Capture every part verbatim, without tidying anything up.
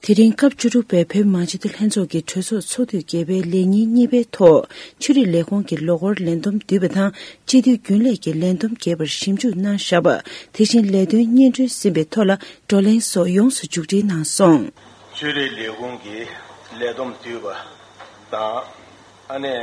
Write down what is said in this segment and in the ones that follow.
དེ་རིང་སྐབས་བཅུ་དྲུག་པའི་བོད་མང་སྤྱི་འཐུས་ལྷན་ཚོགས་ཀྱི་གྲོས་ཚོགས་ཚོགས་དུས་བརྒྱད་པའི་ལས་ཉིན་གཉིས་པའི་ཐོག་ཆོས་རིག་ལས་ཁུངས་ཀྱི་ལོ་འཁོར་ལས་བསྡོམས་བསྡུས་པ་དང་སྤྱི་འཐུས་རྒྱུན་ལས་ཀྱི་ལས་བསྡོམས་རྒྱས་པར་ཞིབ་འཇུག་གནང་བཞག་པ། དེ་བཞིན་ལས་དོན་སྙན་སྒྲོན་ཟིན་པའི་ཐོག་ལ་བགྲོ་གླེང་སོགས་ཡོངས་སུ་མཇུག་སྒྲིལ་གནང་སོང་། ཆོས་རིག་ལས་ཁུངས་ཀྱི་ལས་བསྡོམས་བསྡུས་པ་དང་། ཨ་ནི།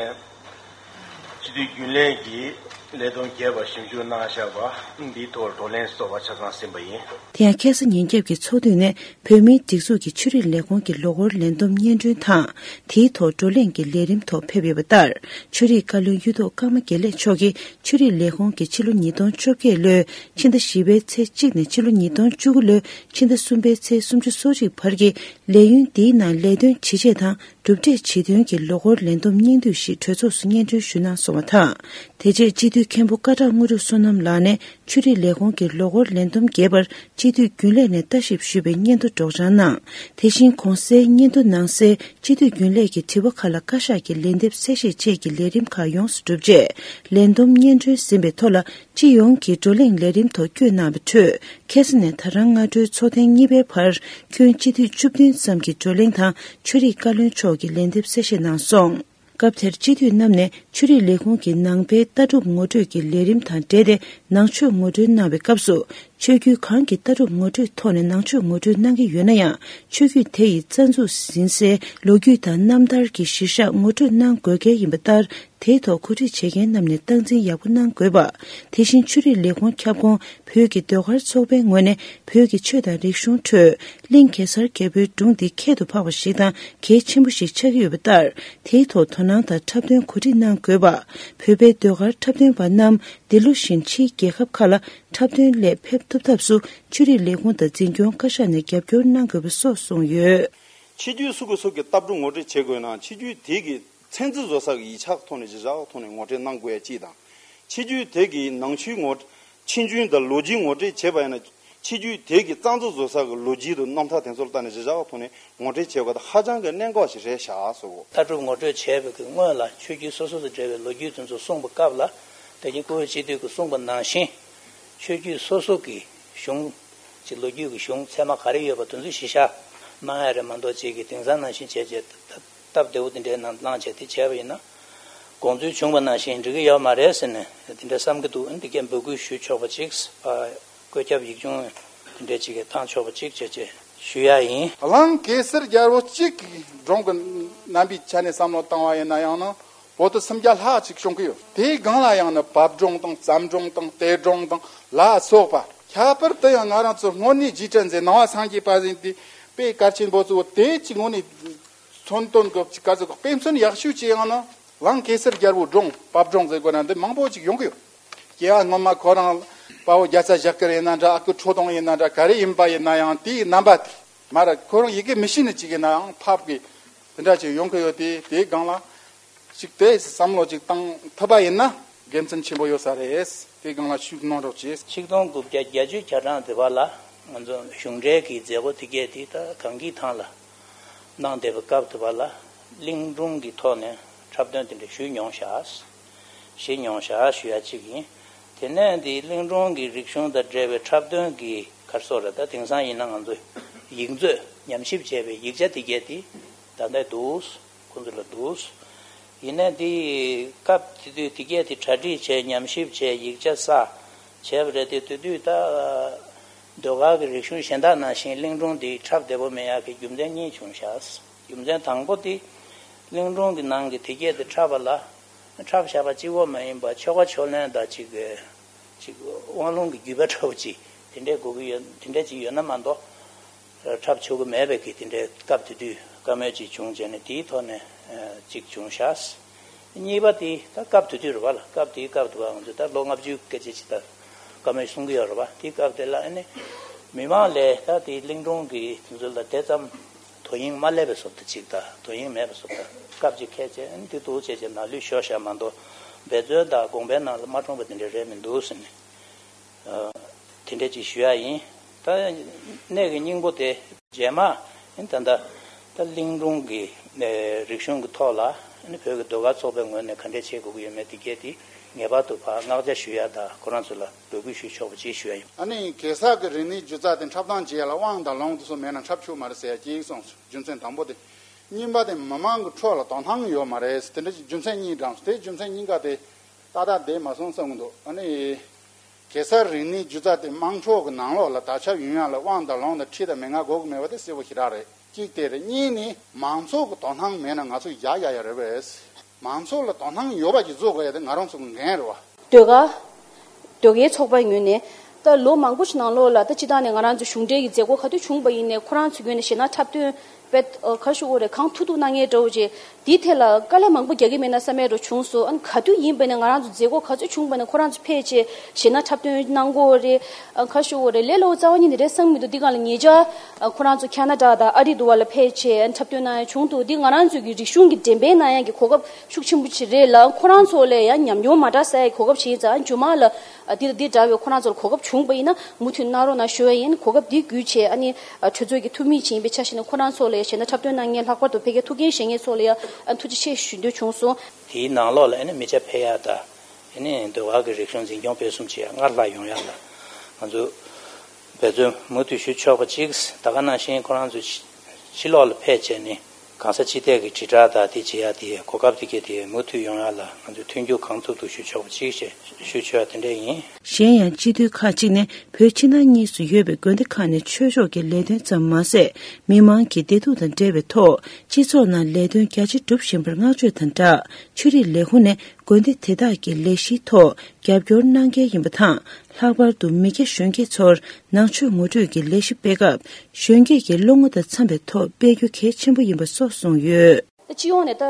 སྤྱི་འཐུས་རྒྱུན་ལས་ཀྱི་ལས་བསྡོམས་རྒྱས་པ་ཞིབ་འཇུག་གནང་བཞག་པ་འདིའི་ཐོག་བགྲོ་གླེང་སོགས་པ་ཆ་ཚང་ཟིན་པ་ཡིན། དེ་ཡང་ཁ་སང་ཉིན་རྒྱབ་ཀྱི་ཚོགས་དུས་ནས་བོད་མིའི་སྒྲིག་འཛུགས་ཀྱི་ཆོས་རིག་ལས་ཁུངས་ཀྱི་ལོ་འཁོར་ལས་བསྡོམས་སྙན་སྒྲོན་དང་། དེའི་ཐོག་བགྲོ་གླེང་གི་ལས་རིམ་ཐོག་ཕེབས་ཡོད་པ་ལྟར། ཆོས་རིག་བཀའ་བློན་གཡུ་ཐོག་ཀརྨ་དགེ་ལེགས་མཆོག་གིས་ཆོས་རིག་ལས་ཁུངས་ཀྱི་ཕྱི་ལོ་ཉིས་སྟོང་བཅོ་བརྒྱད་ལོའི་ཕྱི་ཟླ་བཞི་པའི་ཚེས་གཅིག་ནས་ཕྱི་ལོ་ཉིས་སྟོང་བཅུ་དགུ་ལོའི་ཕྱི་ཟླ་གསུམ་པའི་ཚེས་སུམ་ཅུ་སོ་གཅིག་བར་གྱི་ལས་ཡུན་འདིའི་ནང་ལས་དོན་ཇི་བྱས་དང་། གྲུབ་འབྲས་ཇི་ཐོན་གྱི་ལོ་འཁོར་ལས་བསྡོམས་སྙིང་བསྡུས་ཤིག་གྲོས་ཚོགས་སུ་སྙན་སྒྲོན་ཞུས་གནང་སོང་བ་དང་། དེ་རྗེས་སྤྱི་འཐུས་མཁན་པོ་སྐད་གྲགས་དངོས་གྲུབ་བསོད་ནམས་ལགས་ནས་ཆོས་རིག་ལས་ཁུངས་ཀྱི་ལོ་འཁོར་ལས་བསྡོམས་རྒྱས་པར་སྤྱི་འཐུས་རྒྱུན་ལས་ནས་ལྟ་ཞིབ་ཞུས་པའི་སྙན་ཐོ་སྒྲོག་སྦྱང་གནང་། དེ་བཞིན་གོང་གསལ་སྙན་ཐོ་ནང་གསལ་སྤྱི་འཐུས་རྒྱུན་ལས་ཀྱི་དྲི་བ་ཁག་ལ་བཀའ་ཤག་གི་ལན་འདེབས་གསལ་བཤད་བཅས་ཀྱི་ལས་རིམ་ཁག་ཡོངས་སུ་གྲུབ་རྗེས་ལས་བསྡོམས་སྙན་སྒྲོན་ཟིན་པའི་ཐོག་ལ་སྤྱི་ཡོངས་ཀྱི་བགྲོ་གླེང་ལས་རིམ་ཐོག་བསྐྱོད་གནང་བའི་ཁྲོད། ཁ་སང་ནས་ད་རང་སྔ་དྲོའི་ཚོགས་ཐེངས་གཉིས་པའི་བར་ཁྱོན་སྤྱི་འཐུས་བཅུ་བདུན་ཙམ་གྱི་བགྲོ་གླེང་དང་ཆོས་རིག་བཀའ་བློན་མཆོག་གིས་ལན་འདེབས་གསལ་བཤད་གནང་སོང་། སྐབས་དེར་སྤྱི་འཐུས་རྣམས་ནས་ཆོས་རིག་ལས་ཁུངས་ཀྱི་ནང་པའི་ལྟ་གྲུབ་ངོ་སྤྲོད་ཀྱི་ལས་རིམ་དང་འབྲེལ་ཏེ་ནང་ཆོས་ངོ་སྤྲོད་གནང་བའི་སྐབས་སུ། ཆོས་བརྒྱུད་གང་གི་ལྟ་གྲུབ་ངོ་སྤྲོད་ཐོག་ནས་ནང་ཆོས་ངོ་སྤྲོད་གནང་གི་ཡོད་ན་ཡང་ཆོས་བརྒྱུད་དེ་ཡི་རྩ་འཛུགས་ཟིན་སའི་ལོ་རྒྱུས་དང་རྣམ་ཐར་གྱི་གཞིར་བཞག་ངོ་སྤྲོད་གནང་དགོས་གལ་ཡིན་པ་ལྟར། དེའི་ཐོག་གོ་སྒྲིག་བྱེད་མཁན་རྣམས་ནས་སྟངས་འཛིན་ཡག་པོ་གནང་དགོས་པ། དེ་བཞིན་ཆོས་རིག་ལས་ཁུངས་ཁྱབ་ཁོངས་བོད་ཀྱི་ཟློས་གར་ཚོགས་པའི་ངོས་ནས་བོད་ཀྱི་ཆོས་དང་རིག་གཞུང་ཁྲོད་གླིང་གེ་སར་རྒྱལ་པོའི་སྒྲུང་འདི་ཁྱད་དུ་འཕགས་པ་ཞིག་དང་གལ་ཆེན་པོ་ཞིག་ཆགས་ཀྱི་ཡོད་པ་ལྟར། དེའི་ཐོག་དོ་སྣང་དང་འཁྲབ་སྟོན་གོ་སྒྲིག་གནང་དགོས་པ། བོད་པའི་ཟློས་གར་འཁྲབ་སྟོན་པ་རྣམས་འདི་ལོ་བཞིན་ཕྱིའི་རྒྱལ་ཁབ་ཁག་ལ་འཁྲབ་སྟོན་སླད་ཕེབས་ཐུབ་ཐབས་སུ་ཆོས་རིག་ལས་ཁུངས་དང་འཛིན་སྐྱོང་བཀའ་ཤག་ནས་རྒྱབ་སྐྱོར་གནང་དགོས་པ་སོགས་གསུངས་ཡོད། ཆོས་བརྒྱུད་སུ་གི་སུ་གི་ལྟ་གྲུབ་ངོ་སྤྲོད་བྱེད་དགོས་ན་ཆོས་བརྒྱུད་དེ་གི་མཚན་རྩིས་བཟོ་ས་གི་ཡིག་ཆ་ཐོག་ནས་གཞི་བཞག་ཐོག་ནས་ངོ་སྤྲོད་གནང་དགོས་ཡ་གཅིག་དང་། ཆོས་བརྒྱུད་དེ་གི་ནང་ཆོས་ངོ་ཆོས་འབྱུང་དང་ལོ་རྒྱུས་ངོ་སྤྲོད་བྱས་པ་ཡིན་ན་ཆོས་བརྒྱུད་དེ་གི་རྩ་འཛུགས་བཟོ་ས་གི་ལོ་རྒྱུས་དང་རྣམ་ཐར་དེ་ཚོ་ལ་ལྟ་ནས་གཞི་བཞག་ཐོག་ནས་ངོ་སྤྲོད་བྱེད་དགོས་ད་ཧ་ཅང་གི་གནད་འགག་ཞིག་རེད་ཤག་ཟེར་གོ། ལྟ་གྲུབ་ངོ་སྤྲོད་བྱས་པའི་གི་སྔོན་ལ་ཆོས་བརྒྱུད་སོ་སོ་དང་འབྲེལ་བའི་ལོ་རྒྱུས་དེ་ཚོ་གསུངས་པའི་སྐབས་ལ་དེ་རྗེས་སྐུ་ཞབས་སྤྱི་འཐུས་ཀྱིས་གསུངས་པ་ནང་བཞིན་ཆོས་བརྒྱུད་སོ་སོ་གི་གཞུང་ཅིག་ལོ་རྒྱུས་ཀྱི་གཞུང་ཚད་མ་ག་རེ་ཡོད་པ་དེ་ཚོ་གཞི་བཞག་གནང་ཡ་རེད་མ་གཏོགས་ཅིག་གི་དེང་སང་ནང་བཞིན་བྱས་བྱས་སྟབས་བདེ་བོ་དེ་འདྲའི་ནང་བླངས་བྱས་དེ་བྱས་པ་ཡིན་ན་དགོངས་ཚུལ་བྱུང་བ་ནང་བཞིན་འགྲིག་གི་ཡོད་མ་རེད་ཟེར་ནས་དེ་འདྲ་བསམ་གྱི་འདུག་འདི་གས་འབོད་སྐུལ་ཞུ་ཆོག་པ་ཅིག་བཀོད་ཁྱབ་ཡིག་ཆུང་དེ་འདྲ་ཅིག་གི་བཏང་ཆོག་པ་ཅིག་བྱས་བྱས་ཞུ་ཡ་ཡིན། གླིང་གེ་སར་རྒྱལ་པོ་གཅིག་གི་སྒྲུང་གི་རྣམ་པའི་ཆ་ནས་བསམ་བློ་བཏང་བ་ཡིན་ན་ཡང་ན། བོད་དུ་སུམ་བརྒྱ་ལྷག་ཅིག་བྱུང་གི་ཡོད། དེའི་སྒང་ལ་ཡང་ནི་བབ་སྒྲུང་དང་བརྩམས་སྒྲུང་དང་གཏེར་སྒྲུང་དང་ལ་སོགས་པ། ཁྱད་པར་དུ་ཡང་ང་རང་ཚོ་དངོས་གནས་རྗེས་དྲན་མཛད་ནང་པ་སངས་རྒྱས་པ་ཟིན་ཏེ་དཔེ་གལ་ཆེན་པོ་གཙོ་བོ་དེ་ཅིག་དངོས་གནས་མཚོན་དོན་གྱི་ཅིག་ག་ཚོད་དཔེ་མཚོན་ཡག་ཤོས་ཅིག་ཡང་ན་གླིང་གེ་སར་རྒྱལ་པོའི་སྒྲུང་བབ་སྒྲུང་ཟེར་དགོས་ན་འདི་མང་པོ་ཅིག་ཡོང་གི་ཡོད། སྐྱེ་བ་སྔོན་མ་ཁོ་རང་དཔའ་བོ་རྒྱལ་ཚ་ཞབས་དཀར་ཡིན་ན་འདྲ་ཨ་ཁུ་ཁྲོ་ཐུང་ཡིན་ན་འདྲ་ག་རེ་ཡིན་པ་ཡིན་ན་ཡང་དེའི་རྣམ་པ་དེ་མ་ར་ཁོ་རང་ཡི་གེ་མི་ཤེས་ནི་ཅིག་ཡིན་ན་ཡང་ཕབ་གི་དེ་འདྲ་ཅིག་ཡོང་གི་ཡོད་དེ་དེའི་སྒང་ལ། ཅིག་དེ་བསམ་བློ་ཅིག་བཏང་ཐུབ་པ་ཡིན་ན་དགེ་མཚན་ཆེན་པོ་ཡོད་ས་རེད། དེ་སྒང་ལ་ཤུགས་གནང་རོགས་གྱིས། ཆིག་སྟོང་དགུ་བརྒྱ་བརྒྱད་ཅུ་གྱ་གྲངས་དེ་བར་ལ་ང་ཚོ་གཞུང་འབྲེལ་གྱི་མཛད་སྒོ་དེ་གས་དེ་ད་གངས་སྐྱིད་ཐང་ལ་གནང་བསྡད་པའི་སྐབས་དེ་བར་ལ་གླིང་སྒྲུང་གི་ཐོག་ནས་འཁྲབ་སྟོན་དེ་འདྲ་ཞུས་མྱོང་ཤག་ཞུས་མྱོང་ཤག་ཞུ་ཡ་གཅིག་ཡིན། དེ་ནས་འདི་གླིང་སྒྲུང་གི་རིག་གཞུང་དང་འབྲེལ་བའི་འཁྲབ་སྟོན་གྱི་ག་རེ་ཟེར་རེད་ད་དེང་སང་ཡིན་ན་ང་ཚོ་ཡིག་མཛོད་ཉམས་ཞིབ་བྱས་པའི་ཡིག་ཆ་དེ་གས་དེ་ད་ལྟ་འདུག་ཁོང་ཚོ་ལ་འདུག་ཡིན་ནའི་དེ་སྐབས་དེ་དུས་དེ་གས་དེ་གྲ་སྒྲིག་བྱས་ཉམས་ཞིབ་བྱས་ཡིག་ཆ་བསགས་བྱས་པ་རེད་དེ་དེ་དུས་ད་ཟློས་གར་གྱི་རིག་གཞུང་གཞན་དག་ནང་བཞིན་གླིང་སྒྲུང་འདི་འཁྲབ་བདེ་པོ་མེད་ཡག་གི་རྒྱུ་མཚན་གཉིས་བྱུང་ཤག་རྒྱུ་མཚན་དང་པོ་དེ་གླིང་སྒྲུང་གི་ནང་གི་དེ་གས་དེ་འཁྲབ་པ་ལ་འཁྲབ་བཞག་པ་གཅིག་པོ་མ་ཡིན་པར་ཆོ་ག་ཕྱོགས་ལེན་དང་གཅིག་གཅིག་དབང་ལུང་གི་བརྒྱུད་པ་འདྲ་བོ་ཅིག་དེ་འདྲའི་དགོས་ཀྱི་ཡོད་དེ་འདྲ་ཅིག་ཡོད་ན་མ་གཏོགས། འཁྲབ་ཆོག་གི་མེད་པའི་གི་དེ་འདྲའི་སྐབས་དེ་དུས་བཀའ་མོལ་ཅིག་བྱུང་བྱས་ནས་དེའི་ཐོག་ནས་ཅིག་བྱུང་ཤག་གཉིས་པ་དེ་ད་སྐབས་དེ་དུས་རེད་པ་ལ་སྐབས་དེའི་སྐབས་དེ་བ་ང་ཚོས་ད་ལོ་ལྔ་བཅུ་སྐད་ཆ་ཅིག་ད་བཀའ་མོལ་གསུང་གི་ཡོད་རེད་པ་དེའི་སྐབས་དེ་ལ་ཨ་ནི་མི་མང་ལས་ད་དེའི་གླིང་སྒྲུང་གི་དེ་ཚོ་ལ་དེ་ཙམ་དོ་དབྱིངས་མ་སླེབས་པའི་བཟོ་ལྟ་ཅིག་ད་དོ་དབྱིངས་མེད་པའི་བཟོ་ལྟ་སྐབས་ཅིག་ཁས་བྱས་ཨ་ནི་དེ་འདུག་བྱས་བྱས་ནང་ལུས་ཤོར་ཤག་མ་གཏོགས་འབད་བརྩོན་དང་དགོངས་པའི་ནང་ལ་མ་འཁྲུངས་པ་དེ་འདྲ་རེད་མི་འདུག་ཟེར་ནས། དེ་འདྲ་ཅིག་ཞུ་ཡ་ཡིན། ད་གནད་ཀྱི་སྙིང་པོ་དེ་རྗེས་མ་ད་ལྟ་ད་གླིང་སྒྲུང་གི་རིག་གཞུང་གི་ཐོག་ལ་བོད་ཀྱི་ཟློས་གར་ཚོགས་པའི་ངོས་ནས་ག་འདྲས་བྱེད་དགོས་ཀྱི་ཡོད་མེད་དེ་གས་དེ་ ངེས་པར་དུ་ཕར་མངགས་ཆ་ཞུ་ཡ་དང་ཁོ་རང་ཚོ་ལ་འབོད་སྐུལ་ཞུ་ཆོག་པ་ཅིག་ཞུ་ཡ་ཡིན། ཨ་ནི་གེ་སར་གྱི་རིག་གནས་སྒྱུ་རྩལ་དེ་འཁྲབ་སྟངས་བྱེད་ཡ་ལ་དབང་དང་ལུང་དེ་ཚོ་མེད་ན་འཁྲབ་ཆོག་མ་རེད་ཟེར་ཡ་གཅིག་གསུངས་སོང་། རྒྱུ་མཚན་དང་པོ་དེ། གཉིས་པ་དེ་མི་མང་གི་ཁྲོད་ལ་དོ་སྣང་ཡོད་མ་རེད། དེ་འདྲ་ཞིག་རྒྱུ་མཚན་གཉིས་དྲངས་སོང་། དེ་རྒྱུ་མཚན་གཉིས་ཀ་དེ་ཏག་ཏག་བསྡད་མ་སོང་བསམ་གྱི་འདུག་ཨ་ནི་གེ་སར་རིག་གནས་སྒྱུ་རྩལ་དེ་དམངས་ཁྲོད་ཀྱི་ནང་ལོགས་ལ་དར་ཁྱབ་ཡོང་ཡ་ལ་དབང་དང་ལུང་དང་ཁྲིད་དང་མན་ངག་དགོས་ཀྱི་མེད་པ་དེ་གསལ་པོ་ཞེ་དྲག་རེད། གཅིག་དེ་རེད། གཉིས་ནི་མང་ཚོགས་ཀྱི་དོ་སྣང་མེད་ན་ང་ཚོ་ཡག་ཡག་ཡག་རེད་པས། མང་ཚོགས་ལ་དོ་སྣང་ཡོད་པ་ཞིག་བཟོ་དགོས་ཡ་དེ་ང་རང་ཚོ་གི་འགན་རེད་བ། ཟློས་གར། ཟློས་གར་ཚོགས་པའི་ངོས་ནས་ད་ལོ་མང་པོ་ཞིག་ནང་ལོགས་ལ་ད་སྤྱིར་བཏང་ནས་ང་རང་ཚོ་གཞུང་འབྲེལ་གྱི་མཛད་སྒོ་ག་དུས་བྱུང་པ་ཡིན་ནའི་ཁོ་རང་ཚོའི་ངོས་ནས་གཞས་སྣ་འཁྲབ་སྟོན་དཔེ་ག་ཞུ་དགོས་རེད། གང་ཐུབ་ཐུབ་གནང་མཁན་འདྲ་བོ་ཅིག་དེའི་ཐད་ལ་དཀའ་ལས་མང་པོ་རྒྱག་གི་མེད་ན་བསམ་པའི་འདྲ་བྱུང་སོང་། ཨ་ནི་ག་དུས་ཡིན་པ་ནས་ང་རང་ཚོ་མཛད་སྒོ་ག་ཚོད་བྱུང་པ་ནས་ཁོ་རང་ཚོ་ཕེབས་བྱས་གཞས་སྣ་འཁྲབ་སྟོན་གནང་དགོས་རེད། ཨ་ག་ཞུ་དགོས་རེད། ལས་སླ་པོ་རྩ་བ་ཉིད་ནས་རེད་བསམ་གྱི་མི་འདུག་འདི་སྒང་ལ་ཉེ་ཆར་ཨ་ཁོ་རང་ཚོ་ཁ་ན་ཌ་དང་ཨ་རི་དུ་བ་ལ་ཕེབས་བྱས་ཨ་འཁྲབ་སྟོན་གནང་ཡ་བྱུང་འདུག་འདི་ང་རང་ཚོའི་གི་རིག་གཞུང་གི་འགྲེམས་སྤེལ་གནང་ཡ་གི་གོ་སྐབས་ཤུགས་ཆེན་པོ་ཅིག་རེད་ལ། ཁོ་རང་ཚོ་ལ་ཡང་ཉམས་མྱོང་མ་འདྲ་བསགས་ཡ་གི་གོ་སྐབས་ཅིག་ཡིན་ཙང་། ཨ་མཇུག་མ་ལ་ཨ་འདི་དང་འདི་འདྲ་བའི་ཁོ་རང་ཚོ་ལ་གོ་སྐབས་བྱུང་པ་ཡིན་ན་མུ་མཐུད་གནང་རོགས་གནང་ཞུ་ཡ་ཡིན། གོ་སྐབས་འདི་བརྒྱུད་བྱས་ཨ་ནི་ཨ་གྲོས་ཚོགས་ཀྱི་འཐུས་མི་ཅིག་ཡིན་པའི་ཆ་བཞག་ནས་ཁོ་རང་ཚོ་ལ་ཡང་གཞས་སྣ་འཁྲབ་སྟོན་གནང་མཁན་ལྷག་པར་དུ་ཕ་གིའི་ཐུགས་འགན་བཞེས་མཁན་ཚོ་ལ་ཡང་ཨ་ཐུགས་རྗེ་ཆེ་ཞུ་འདོད་བྱུང་སོང་། དེའི་ནང་ལོགས་ལ་ཨ་ནི་མི་སྐྱ་ཕེབས་ཡ་དང་། ཨ་ནི་ཟློས་གར་གྱི་རིག་གཞུང་འཛིན་སྐྱོང་སྤེལ་གསུམ་བྱེད་ཡ་སྔར་ལྷག་ཡོང་ཡ་ལ་ང་ཚོ་འབད་བརྩོན་མུ་མཐུད་ཞུ་ཆོག་པ་གཅིག་ད་ག་ནང་བཞིན་ཁོ་རང་ཚོ་ཕྱི་ཕྱི་ལོགས་ལ་ཕེབས་བྱས་ནས་གང་ས་ཅི་ཐད་ཀྱི་དྲིལ་བསྒྲགས་དང་དེ་བྱེད་ཡ་དེ་གོ་སྐབས་དེ་གས་དེ་མུ་མཐུད་ཡོང་ཡ་ལ་ང་ཚོས་མཐུན་འགྱུར་གང་ཐུབ་ཐུབ་ཞུ་ཆོག་པ་གཅིག་ཞེས་ཞུ་ཆོག་ཡ་དེ་འདྲ་ཡིན། གཞན་ཡང་སྤྱི་འཐུས་ཁག་ཅིག་ནས་བོད་ཕྱི་ནང་གཉིས་སུ་ཡོད་པའི་དགོན་སྡེ་ཁག་ནས་ཆོས་ཕྱོགས་ཀྱི་ལས་དོན་ཙམ་མ་ཟད། མི་མང་གི་བདེ་སྡུག་དང་འབྲེལ་བའི་ཐོག་སྤྱི་ཚོགས་ནང་ལས་དོན་རྒྱ་ཆེ་སྒྲུབ་བཞིན་པར་བསྔགས་བརྗོད་དང་སྦྲགས། ཆོས་རིག་ལས་ཁུངས་ནས་དགོན་སྡེ་དེ་དག་གི་ལས་གཞིའི་ཐོག་རྒྱབ་སྐྱོར་གནང་གལ་ཡིན་པ་དང་། ལྷག་པར་དུ་མི་སྐྱ་གཞོན་སྐྱེས་ཚོར་ནང་ཆོས་ངོ་སྤྲོད་ཀྱི་ལས་གཞི་སྤེལ་སྐབས། གཞོན་སྐྱེས་ཀྱི་བློ་ངོ་དང་འཚམ་པའི་ཐོག་སྤེལ་རྒྱུ་གལ་ཆེན་པོ་ཡིན་པ་སོགས་གསུངས་ཡོད། ད་སྤྱི་ཡོངས་ནས་ད་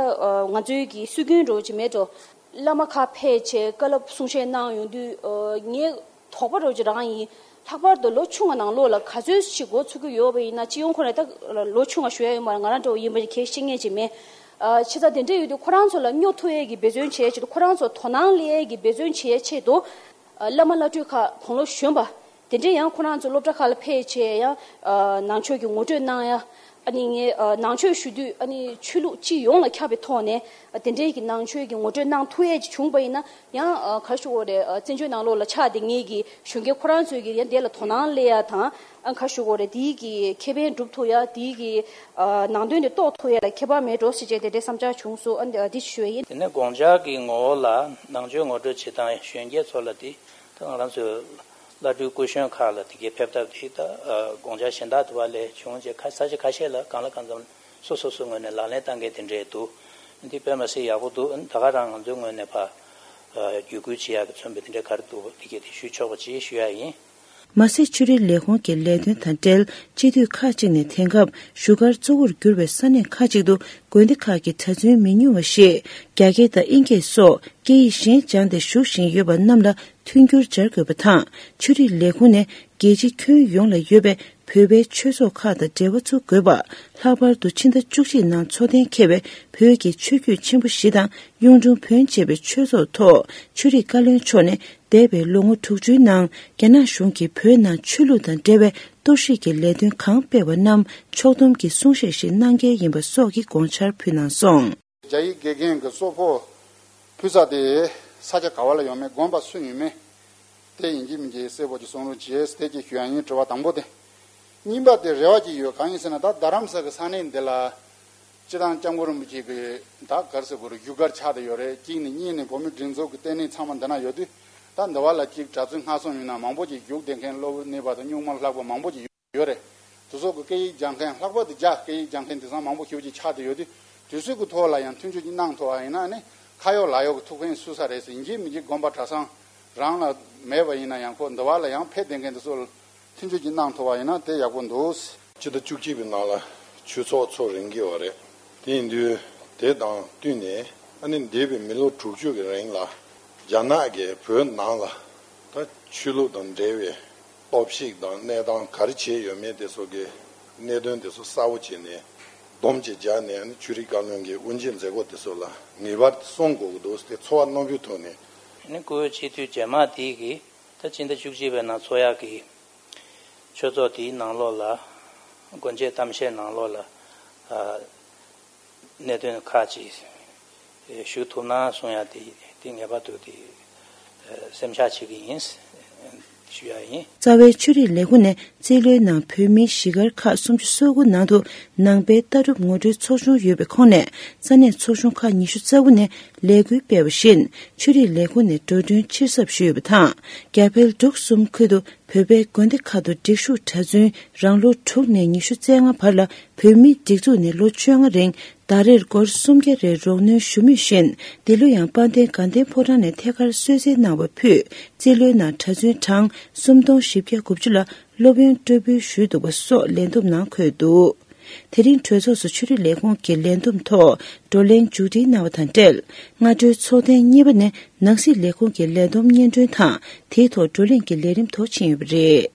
ང་ཚོའི་གི་སྲོལ་རྒྱུན་འདྲ་བོ་ཅིག་མེད་འགྲོ། བླ་མ་ཁག་ཕེབས་བྱས་བཀའ་སློབ་གསུང་བཤད་གནང་ཡོང་དུས་ངའི་དོགས་པ་འདྲ་བོ་ཅིག་རང་ཡིན། ལྷག་པར་དུ་ལོ་ཆུང་བ་ནང་ལོགས་ལ་ག་ཚོད་ཅིག་འགོ་ཚུགས་ཀྱི་ཡོད་པ་ཡིན་ན། སྤྱི་ཡོངས་ཁོ་ནས་ད་ལོ་ཆུང་བ་ཞུ་ཡ་ཡོད་མ་རེད། ང་རང་འདྲ་བོ་ཡིན་པ་ཅིག་གལ་ཤེས་མཁན་ཅིག་མེད། ཨ་བྱས་ཙང་དེ་འདྲ་ཡོད་དུས་ཁོ་རང་ཚོ་ལ་སྨྱོ་ཐུབ་ཡས་ཀྱི་འབད་བརྩོན་བྱེད་ཡས་ཆེད་དུ། ཁོ་རང་ཚོ་དོ་སྣང་སླེབས་ཡས་ཀྱི་འབད་བརྩོན་བྱེད་ཡས་ཆེད་དུ། ཨ་བླ་མ་བླ་སྤྲུལ་ཁག་དགུང་ལོ་གཞོན་པ་དེ་འདྲས་ཡང་ཁོ་རང་ཚོ་སློབ་གྲྭ་ཁག་ལ་ཕེབས་བྱས་ཡང་ཨ་ནང་ཆོས་ཀྱི་ངོ་སྤྲོད་གནང་ཡ། ཨ་ནི་ངས་ཨ་ནང་ཆོས་ཞུ་དུས་ཨ་ནི་ཆོས་ལུགས་སྤྱི་ཡོངས་ལ་ཁྱབ་པའི་ཐོག་ནས་ཨ་དེ་འདྲས་ཀྱི་ནང་ཆོས་ཀྱི་ངོ་སྤྲོད་གནང་ཐུབ་ཡས་ཅིག་བྱུང་པ་ཡིན་ན་ཡང་ཨ་ག་ཞུ་དགོས་རེད། ཨ་བཙན་བྱོལ་ནང་ལོགས་ལ་ཆགས་བསྡད་མཁན་གྱི་གཞོན་སྐྱེས་ཁོ་རང་ཚོས་ཀྱི་ཡང་དེ་ལ་དོ་སྣང་སླེབས་ཡ་དང་། ཨ་ག་ཞུ་དགོས་རེད། དེའི་གི་ཁེ་ཕན་སྒྲུབ་ཐུབ་ཡ། དེའི་གི་ཨ་ནང་དོན་དེ་རྟོགས་ཐུབ་ཡ་ལ་ཁྱད་པར་མེད་འགྲོ་ཟེར་བྱས་དེ་འདྲའི་བསམ་འཆར་བྱུང་སོང་། ཨ་འདི་ཞུ་ཡ་ཡིན། དེ་ནས་དགོངས་འཆར་གྱི་ངོ་བོ་ལ་ནང་ཆོས་ངོ་སྤྲོད་བྱེད་སྟངས་གཞོན་སྐྱེས་ཚོ་ལ་དེ་ད་ང་རང་ཚོའི་བླ་སྤྲུལ་སྐུ་གཞོན་ཁག་ལ་དེ་གའི་ཕེབས་ཐབས་དེ་ད་དགོངས་འཆར་གཞན་དག་དུ་བ་ལས་བྱུང་རྗེས་ཁ་ས་ཆ་ཁ་ཤས་ལ་གང་ལ་གང་འཚམ་སོ་སོ་སོ་ངོས་ནས་ལག་ལེན་བསྟར་མཁན་དེ་འདྲས་འདུག་འདི་དཔེ་མ་སྲིད་ཡག་པོ་འདུག་ད་ག་རང་ང་ཚོའི་ངོས་ནས་ཕར་བརྒྱུད་སྐུལ་བྱེད་ཡག་གི་མཚོན་པའི་དེ་འདྲས་ག་རེ་འདུག་དེ་གས་དེ་ཞུ་ཆོག་པ་ཅིག་ཞུ་ཡ་ཡིན། མ་ཟད་ཆོས་རིག་ལས་ཁུངས་ཀྱི་ལས་དོན་དང་འབྲེལ་སྤྱི་འཐུས་ཁག་ཅིག་ནས་དེང་སྐབས་བཞུགས་སྒར་གཙོ་བོར་གྱུར་བའི་ས་གནས་ཁག་ཅིག་ཏུ་དགོན་སྡེ་ཁག་གི་གྲྭ་བཙུན་མི་ཉུང་བ་ཞིག་རྒྱ་སྐད་དང་དབྱིན་སྐད་སོགས་སྐད་ཡིག་གཞན་སྦྱངས་ཏེ་བཞུགས་བཞིན་ཡོད་པ་རྣམས་ལ་མཐུན་འགྱུར་སྦྱར་དགོས་པ་དང་། ཆོས་རིག་ལས་ཁུངས་ནས་རྒྱལ་སྤྱི་ཁྱོན་ཡོངས་ལ་ཡོད་པའི་བོད་པའི་ཆོས་ཚོགས་ཁག་དང་འབྲེལ་བ་བཙུགས་དགོས་པ། ལྷག་པར་དུ་ཕྱི་ཟླ་བཅུ་གཅིག་ནང་འཚོགས་གཏན་འཁེལ་བའི་བོད་ཀྱི་ཆོས་བརྒྱུད་ཆེན་པོ་བཞི་དང་གཡུང་དྲུང་བོན་བཅས་པའི་ཆོས་ཚོགས་ཐོག་ཆོས་རིག་བཀའ་བློན་མཆོག་ནས་འདས་པའི་ལོ་ངོ་དྲུག་ཅུའི་ནང་རྒྱ་ནག་གཞུང་གིས་བོད་ནང་ཆོས་ལུགས་དང་འབྲེལ་བའི་གཏོར་བཤིག་གི་ལས་དོན་གང་སྤེལ་བ་རྣམས་ཕྱོགས་བསྡོམས་ཀྱིས་གསུང་བཤད་ཞིག་གནང་གལ་ཡིན་པ་སོགས་ཀྱི་དགོངས་འཆར་ཕུལ་གནང་སོང་། རྒྱ་ཡིག་དགེ་རྒན་གྱི་གཙོ་ཕོགས་ཕུལ་ས་དེ་ས་ཆ་ག་བ་ལ་ཡོད་མེད། དགོན་པ་སུ་ཡིན་མིན་དེ་ཡིན་གཅིག་མིན་གཅིག་གསལ་པོ་ཅིག་གསུང་རོགས་བྱེད་ཟེར་དེ་ཅིག་ཞུ་ཡ་ཡིན། དྲི་བ་དང་པོ་དེ། གཉིས་པ་དེ་རེ་བ་ཅིག་ཡོད། གང་ཡིན་ཟེར་ན་ད་རྡ་རམ་ས་གི་ས་གནས་འདི་ལ་སྤྱིར་བཏང་སྐྱབས་མགོན་རིན་པོ་ཆེ་གི་ད་ག་རེ་ཟེར་དགོས་རེད། བཞུགས་སྒར་ཆགས་བསྡད་ཡོད་རེད། གཅིག་ནས། གཉིས་ནས་བོད་མིའི་སྒྲིག་འཛུགས་ཀྱི་ལྟེ་གནས་ཚང་མ་འདི་ན་ཡོད་དུས། ད་འདི་བ་ལ་གཅིག་གྲྭ་བཙུན་སྔ་སོང་ཡིན་ན་མང་པོ་ཅིག་བཞུགས་བསྡད་མཁན། སློབ་ནས་པ་དང་སྨྱུག་མ་ལྷག་པ་མང་པོ་ཅིག་ཡོད་རེད། དེ་ཚོ་གི་སྐད་ཡིག་སྦྱང་མཁན། ལྷག་པར་དུ་རྒྱ་སྐད་ཡིག་སྦྱང་མཁན་དེང་སང་མང་པོ་ཞེ་པོ་ཅིག་ཆགས་བསྡད་ཡོད་དུས། དུས་ཚོད་ཀྱི་ཐོག་ལ་ཡང་མཐུན་སྦྱོར་ཅིག་གནང་ཐུབ་པ་ཡིན་ན་ནི་ཁ་ཡོག་ལག་ཡོག་གི་ཐུགས་ཕན་གསོས་ས་རེད་ཟེར། ཡིན་གཅིག་མིན་གཅིག་དགོན་པ་གྲྭ་ཚང་རང་ལ་མེད་པ་ཡིན་ན་ཡང་ཁོ་འདི་བ་ལ་ཡང་ཕེབས་བསྡད་མཁན་དེ་ཚོ་ལ་མཐུན་སྦྱོར་ཅིག་གནང་ཐུབ་པ་ཡིན་ན་དེ་ཡག་པོ་འདུག་སྤྱི་ཟླ་བཅུ་གཅིག་པའི་ནང་ལ་ཆོས་ཚོགས་ཚོགས་རན་གྱི་ཡོད་རེད། དེ་ཡིན་དུས་དེ་དང་བསྟུན་ནས་ཨ་ནི་འདས་པའི་མི་ལོ་དྲུག་ཅུ་གི་རིང་ལ་རྒྱ་ནག་གིས་བོད་ནང་ལ་ད་ཆོས་ལུགས་དང་འབྲེལ་བའི་གཏོར་བཤིག་དང་གནས་སྟངས་ག་རེ་བྱས་ཡོད་མེད་དེ་ཚོ་གི་གནད་དོན་དེ་ཚོ་གསལ་པོ་བྱས་ནས་སྡོམ་ཅིག་སྦྱར་ནས། ཨ་ནི་ཆོས་རིག་བཀའ་བློན་གྱི་དབུ་འབྱེད་མཛད་སྒོ་དེ་ཚོ་ལ་ངེས་པར་གསུང་དགོས་ཀྱི་འདུག་དེ་ཚོར་བ་རྣོན་པོའི་ཐོག་ནས། ཨ་ནི་བཀུར་འོས་སྤྱི་འཐུས་རྗེས་མ་དེ་གིས་ད་སྤྱི་ཟླ་བཅུ་གཅིག་པའི་ནང་ཚོགས་ཡག་གི་ཆོས་ཚོགས་དེའི་ནང་ལོགས་ལ་སྒོ་འབྱེད་གཏམ་བཤད་ནང་ལོགས་ལ་ཨ་གནད་དོན་ཁག་ཅིག་ཞུ་ཐུབ་ན་གསུང་ཡ་དེ་དེ་ངེས་པར་དུ་དེ་ སེམས་ཤར་བྱེད་ཀྱི་ཡིན་ཞུ་ཡ་ཡིན། རྩ་བའི་ཆོས་རིག་ལས་ཁུངས་ནས་རྩིས་ལོའི་ནང་བོད་མིའི་གཞིས་སྒར་ཁག་སུམ་ཅུ་སོ་དགུ་ནང་དུ་ནང་པའི་ལྟ་གྲུབ་ངོ་སྤྲོད་ཚོགས་ཆུང་ཡོད་པའི་ཁོངས་ནས་ས་གནས་ཚོགས་ཆུང་ཁག་ཉི་ཤུ་རྩ་དགུ་ནས་ལས་འགུལ་སྤེལ་བ་བཞིན་ཆོས་རིག་ལས་ཁུངས་ནས་འགྲོ་གྲོན་ཕྱིར་ཚབ་ཞུས་ཡོད་པ་དང་། རྒྱ་བལ་འབྲུག་གསུམ་ཁུལ་དུ་བོད་པའི་དགོན་སྡེ་ཁག་ཏུ་སྒྲིག་ཞུགས་གྲྭ་བཙུན་རང་ལོ་དྲུག་ནས་ཉི་ཤུ་རྩ་ལྔ་བར་ལ་བོད་མིའི་སྒྲིག་འཛུགས་ནས་ལོ་བཅོ་ལྔ་རིང་ཟླ་རེར་སྒོར་སུམ་བརྒྱ་རེ་རོགས་སྣོན་ཞུ་མུས་བཞིན། འདི་ལོ་ཡང་དཔལ་ལྡན་དགའ་ལྡན་ཕོ་བྲང་ནས་ཐད་ཀར་གསོལ་སྩལ་གནང་བ་ཕུད། རྩིས་ལོའི་ནང་གྲྭ་བཙུན་གྲངས་སུམ་སྟོང་བཞི་བརྒྱ་དགུ་བཅུ་ལ་སློབ་ཡོན་སྤྲོད་འབུལ་ཞུས་འདུག་པ་སོགས་ལས་བསྡོམས་ནང་འཁོད་འདུག་དེ་རིང་གྲོས་ཚོགས་སུ་ཆོས་རིག་ལས་ཁུངས་ཀྱི་ལས་བསྡོམས་ཐོག་བགྲོ་གླེང་མཇུག་སྒྲིལ་གནང་བ་དང་འབྲེལ། སྔ་དྲོའི་ཚོགས་ཐེངས་གཉིས་པ་ནས་ནང་སྲིད་ལས་ཁུངས་ཀྱི་ལས་བསྡོམས་སྙན་སྒྲོན་དང་དེའི་ཐོག་བགྲོ་གླེང་གི་ལས་རིམ་ཐོག་ཕྱིན་ཡོད་པ་རེད།